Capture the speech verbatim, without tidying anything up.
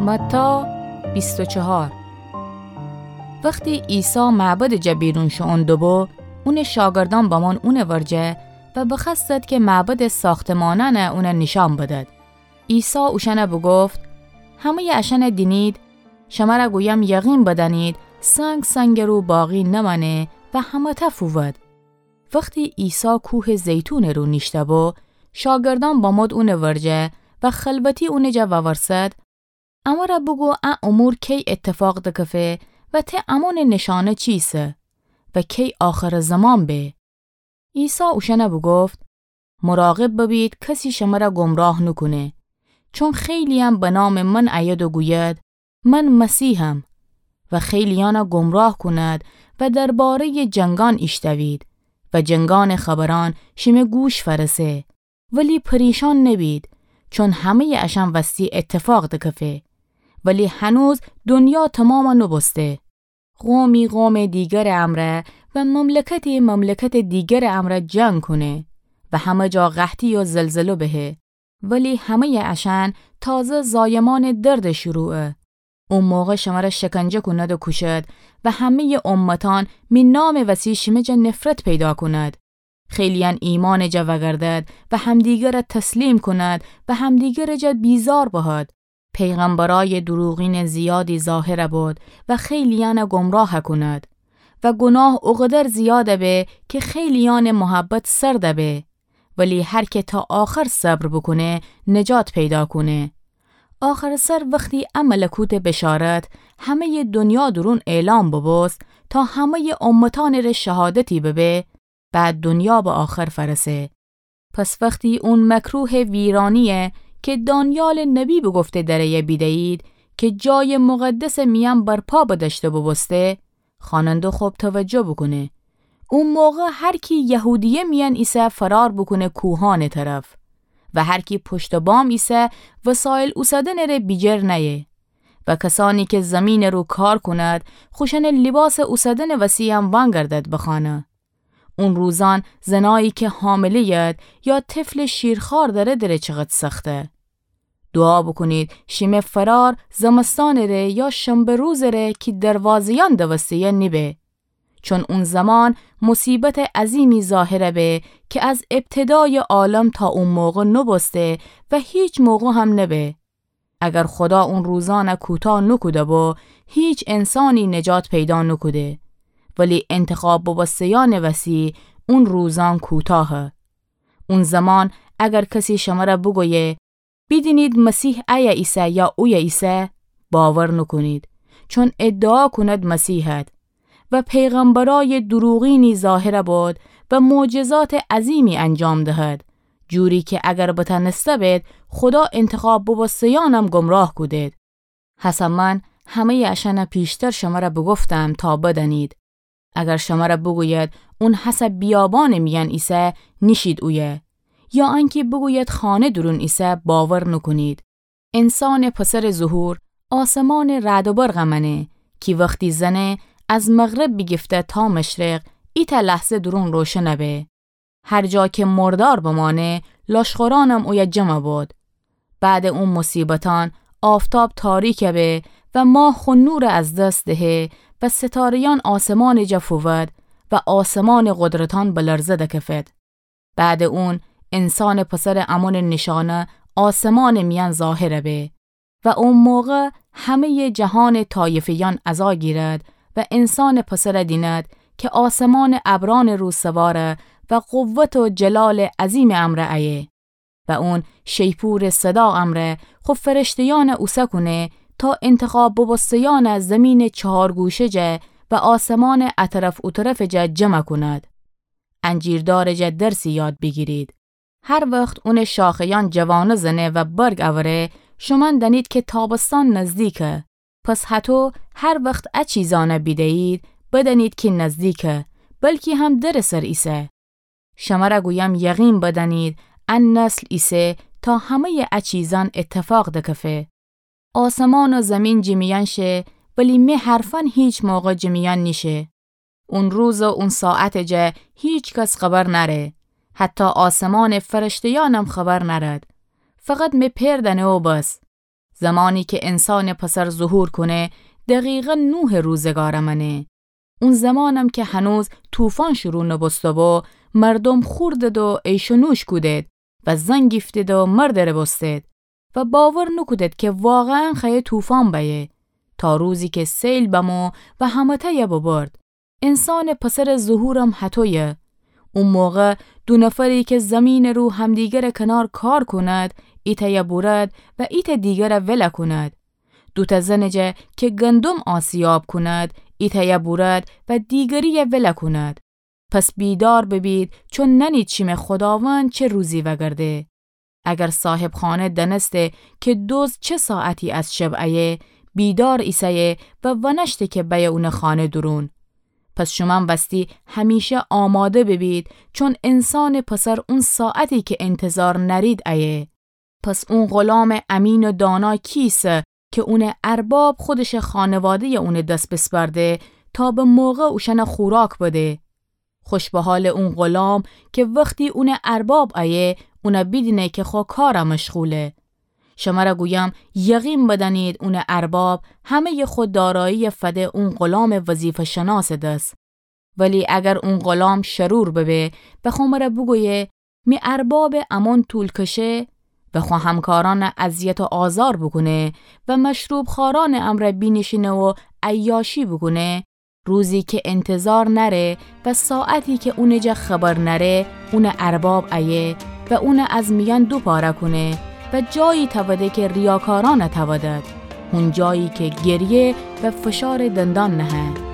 متی بیست و چهار. وختی عیسی معبدٚ جا بیرون شوئون دوبو، اونٚ شاگردأن بمون اونٚ ورجه و بخوأستد کی معبدٚ ساختمانأن اون نیشأن بدد. عیسی اوشأن بوگفت: همه‌یٚ اشأن دینید؟ شمر گویم، یقین بدأنید، سنگ سنگٚ رو باقی نمأنه و همه‌تأ فوود. وختی عیسی کوهٚ زیتونٚ رو نیشته‌بو، شاگردأن بمود اونٚ ورجه و خلوتی اونٚ جا وورسد: امر بوگو ا امور کی ایتفاق دکفه و ته امونٚ نیشأنه چیسه و کی آخرٚ زمان به؟ عیسی اوشأن بوگفت: مراقب ببید کسی شمر گمراه نوکونه، چون خیلی‌یأن به نامٚ من ایید و گوید: من مسیحم، و خیلی‌یأن گمراه کند و درباره‌یٚ جنگأن ایشتوید و جنگأنٚ خبرأن شیمه گوش فأرسه، ولی پریشان نبید، چون همه‌یٚ اشأن وستی ایتفاق دکفه، ولی هنوز دنیا تومام نوبوسته. قومی قومٚ دیگرٚ امرأ و مملکتی مملکتٚ دیگرٚ امرأ جنگ کونه و همه جا قحطی و زلزله بهه، ولی همه‌یٚ اشأن تازه زایمأنٚ دردٚ شروعه. او موقع شمر شکنجه کند و کوشد و همه‌یٚ امتأن می نامٚ وسی شیمه جا نفرت پیدا کند. خیلی‌یأن ایمأنٚ جا وأگردد و همدیگر تسلیم کند و همدیگرٚ جا بیزار بهد. پیغمبرأیٚ دروغینٚ زیادی ظاهر بود و خیلی‌یأن گمراه کند و گناه اوقدر زیاد به کی خیلی‌یأنٚ محبت سرد به. ولی هر کی تا آخر صبر بوکونه، نجات پیدا کونه. آخرٚ سر وختی ا ملکوتٚ بشارت همه‌یٚ دنیا دورون اعلام ببوست، تا همه‌یٚ امتأنٚ ره شهادتی ببه، بعد دنیا به آخر فأرسه. پس وختی اون مکروهٚ ویرانی‌یی کی دانیالٚ نبی بوگفته دره‌یی بیده‌یید کی جایٚ مقدسٚ میأن برپا بدأشته بوبوسته، خوأننده خب توجه بوکونه. او موقع هر کی یهودیه میأن ایسه فرار بوکونه کوهأنٚ طرف، و هر کی پشت بام ایسه وسایل اوسدنٚ ره بیجر نأیه. و کسأنی کی زیمینٚ رو کار کند، خوشأنٚ لیباسٚ اوسدنٚ وسی‌یم وأنگردد بخانه. اون روزأن زنایی کی حامله‌ید یا طفلٚ شیرخوار دأرده ره چقدر سخته. دوعا بوکونید شیمه فرار زمستانٚ ره یا شنبه روزٚ ره کی دروازه‌یأن دوسته‌یه نیبه. چون اون زمان مصیبتٚ عظیمی ظاهر به کی از ابتدایٚ عالم تا او موقع نوبوسته و هیچ موقع هم نبه. اگر خودا اون روزأن کوتاه نوکوده‌بو، هیچ انسانی نجات پیدا نوکوده. ولی انتخاب بوبوسته‌یأنٚ وسی اون روزأن کوتاهه. اون زمان اگر کسی شمر بوگویه: بیدینید مسیح ایه ایسه یا اویه ایسه، باور نوکونید، چون ادعا کند مسیحد. و پیغمبرأیٚ دروغینی ظاهر بود و معجزاتٚ عظیمی انجام دهد، جوری کی اگر بتأنسته بید، خودا انتخاب بوبوسته‌یأنم گمراه کودید. هسه من همه‌یٚ اشأن پیشتر شمر بوگفتم تا بدأنید. اگر شمر بوگوید اون هسه بیابانٚ میأن ایسه، نیشید اویه. یا انکی بوگوید خانه دورون ایسه، باور نوکونید. انسانٚ پسرٚ ظهور آسمانٚ رعد و برق مأنه کی وختی زنه، از مغرب بیگیفته تا مشرق، ایتأ لحظه دورون روشن به. هر جا کی مردار بمأنه، لاشخورأنم اویه جمع بود. بعدٚ او مصیبتأن آفتاب تاریک به و ماه خو نور از دس دهه و ستاره‌یأن آسمانٚ جا فوود و آسمانٚ قدرتأن به لرزه دکفد. بعدٚ اون انسانٚ پسرٚ امونٚ نیشأنه آسمانٚ میأن ظاهر به و او موقع همه‌یٚ جهانٚ طایفه‌یأن عزا گیرد و انسانٚ پسر دیند کی آسمانٚ ابرأنٚ رو سواره و قوت و جلالٚ عظیمٚ امرأ ایه. و اون شیپورٚ صدا امرأ خو فرشته‌یأن اوسه کونه تا انتخاب بوبوسته‌یأن زیمینٚ چهار گوشه جا و آسمانٚ اطرف اوطرف جا جمع کند. انجیر دارٚ جا درسی یاد بیگیرید. هر وخت اونٚ شاخه‌یأن جوانه زنه و برگ اوره، شومأن دأنید کی تابستان نزدیکه. پس هطو هر وخت ا چیزأن بیده‌یید، بدأنید کی نزدیکه، بلکی هم درٚ سر ایسه. شمر گویم یقین بدأنید، ا نسل ایسه تا همه‌یٚ ا چیزأن ایتفاق دکفه. آسمان و زیمین جه میأن شه، ولی می حرفأن هیچ موقع جه میأن نیشه. اون روز و اون ساعتٚ جا هیچ کس خبر نأره، حتی آسمانٚ فرشته‌یأنم خبر نأرد. فقط می پئر دأنه و بس. زمانی که انسانٚ پسر ظهور کونه، دقیقاً نوحٚ روزگارٚ مأنه. اون زمانم که هنوز طوفان شروع نوبوسته‌بو، مردوم خوردد و عیش و نوش کودد و زن گیفتد و مردٚ ره بوستد و باور نوکودد که واقعاً خوأیه طوفان بأیه، تا روزی که سیل بمو و همه‌تأیه ببرد. انسانٚ پسرٚ ظهورم هطویه. او موقع دو نفری که زمینٚ رو همدیگرٚ کنار کار کند، ایتأیه بورد و ایتأ دیگره ولأ کند. دوتأ زنٚ جا که گندم آسیاب کند، ایتأیه بورد و دیگریه ولأ کند. پس بیدار ببید، چون نأنید شیمه خوداوند چه روزی وأگرده. اگر صاحب خانه دأنسته که دزد چه ساعتی از شب ایه، بیدار ایسه‌یه و ونأشته که بأیه اونٚ خانه دورون. پس شومأن وستی همیشه آماده ببید، چون انسانٚ پسر اون ساعتی که انتظار نأرید ایه. پس اون غلامٚ امین و دانا کی ایسه که اونٚ ارباب خودشٚ خانواده‌یه اونٚ دس بسپرده تا به موقع اوشأنه خوراک بده؟ خوش به حالٚ اون غلام که وختی اونٚ ارباب ایه، اونه بیدینه که خو کاره مشغوله. شمره گویم، یقین بدأنید اونٚ ارباب همه‌یٚ خو داراییه فده اون غلامٚ وظیفه‌شناسٚ دس. ولی اگر اون غلام شرور ببه و خو مره بوگویه، می اربابٚ امان طول کشه و خو همکارأنه اذیت و آزار بوکونه و مشروب‌خوأرأنٚ امرأ بینیشینه و عیاشی بوکونه، روزی که انتظار نأره و ساعتی که اونٚ جا خبر نأره، اونٚ ارباب ایه و اونه از میأن دوپاره کونه و جایی تأوده که ریاکارأنه تأودد، هون جایی که گریه و فشارٚ دندان نهه.